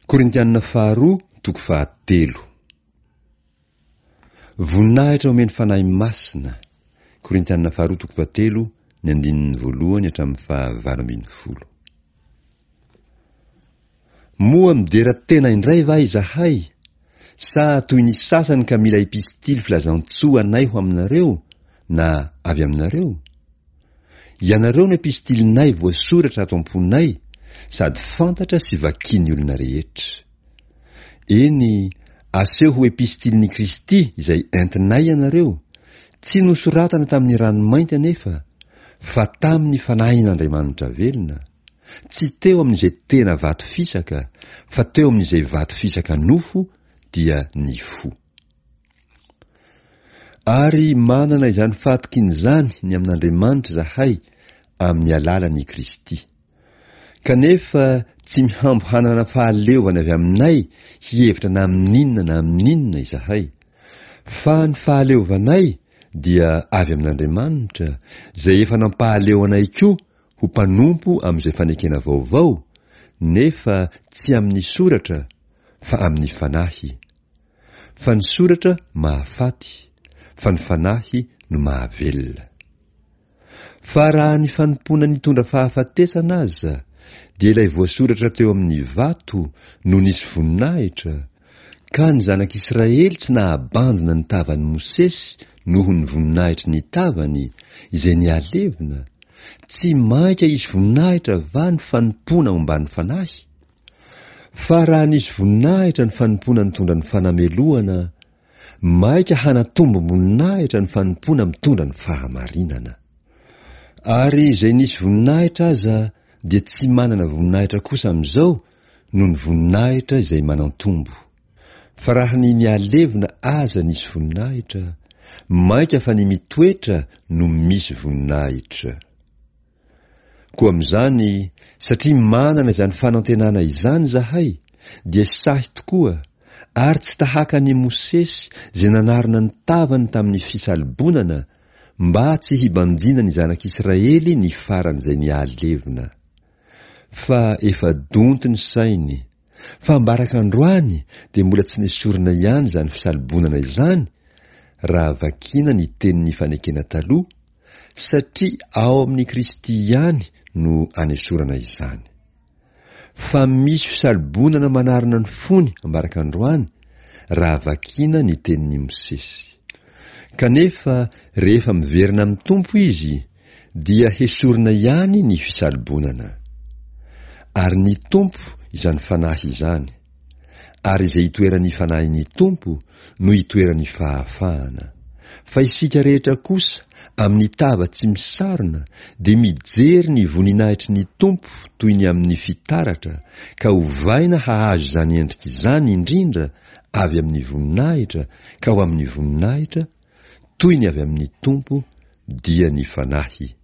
Korintianina faharoa toko fahatelo. Voninahitra omen'ny Fanahy Masina, Korintianina faharoa toko fahatelo ny andininy voalohany hatramin'ny faha 18. Moa midera tena indray va izahay, sa toy ny sasany ka mila epistily filazantsoa anay ho aminareo na avy aminareo? Ianareo no epistilinay voasoratra ato am-ponay sady fantatra sy vakin'ny olona rehetra. Eny, aseho ho epistilin'i Kristy izay entinay ianareo, tsy nosoratana tamin'ny ranomainty anefa, fa tamin'ny Fanahin'Andriamanitra velona, tsy teo amin'izay tena vato fisaka, fa teo amin'izay vato fisaka nofo, dia ny fo. Ary manana izany fahatokiana izany ny amin'Andriamanitra izahay amin'ny alalan'i Kristy. Kanefa tsy mihambo hanana fahaleovana avy aminay hihevitra na amin'inona na amin'inona izahay, fa ny fahaleovanay dia avy amin'Andriamanitra, izay efa nampahaleo anay koa ho mpanompo amin'izay fanekena vaovao, nefa tsy amin'ny soratra, fa amin'ny fanahy. Fa ny soratra mahafaty, fa ny fanahy no mahavelona. Fa raha ny fanompoana nitondra fahafatesana aza, dia ilay voasoratra teo amin'ny vato no nisy voninahitra, ka ny zanak'Israely tsy nahabanjina ny tavan'i Mosesy noho ny voninahitry ny tavany, izay nihalevona, tsy mainka hisy voninahitra va ny fanompoana omban'ny fanahy? Fa raha nisy voninahitra ny fanompoana nitondra ny fanamelohana, maika hanatombom-boninahitra ny fanompoana mitondra ny fahamarinana. Ary izay nisy voninahitra aza dia tsy manana voninahitra kosa amin'izao noho ny voninahitra izay manantombo. Fa raha ny nihalevona aza nisy voninahitra, maika fa ny mitoetra no misy voninahitra. Koa amin'izany, satria manana izany fanantenana izany izahay, dia sahy tokoa, ary tsy tahaka an'i Mosesy izay nanarona ny tavany tamin'ny fisalobonana, mba tsy hibanjina ny zanak'Israely ny faran'izay nihalevona. Fa efa donto ny sainy, fa ambaraka androany dia mbola tsy nesorina ihany izany fisalobonana izany, raha vakiana ny tenin'ny fanekena taloha, satria ao amin'i Kristy ihany no anesorana izany. Fa misy fisalobonana manarona ny fony ambaraka androany raha vakiana ny tenin'i Mosesy. Kanefa rehefa miverina amin'ny Tompo izy dia hesorina ihany ny fisalobonana. Ary ny Tompo izany Fanahy izany. Ary izay itoeran'ny Fanahin'ny Tompo no itoeran'ny fahafahana. Fa isika rehetra kosa, amin'ny tava tsy misarona, dia mijery ny voninahitry ny Tompo toy ny amin'ny fitaratra, ka ovaina hahazo izany endrika izany indrindra avy amin'ny voninahitra ka ho amin'ny voninahitra, toy ny avy amin'ny Tompo, dia ny Fanahy.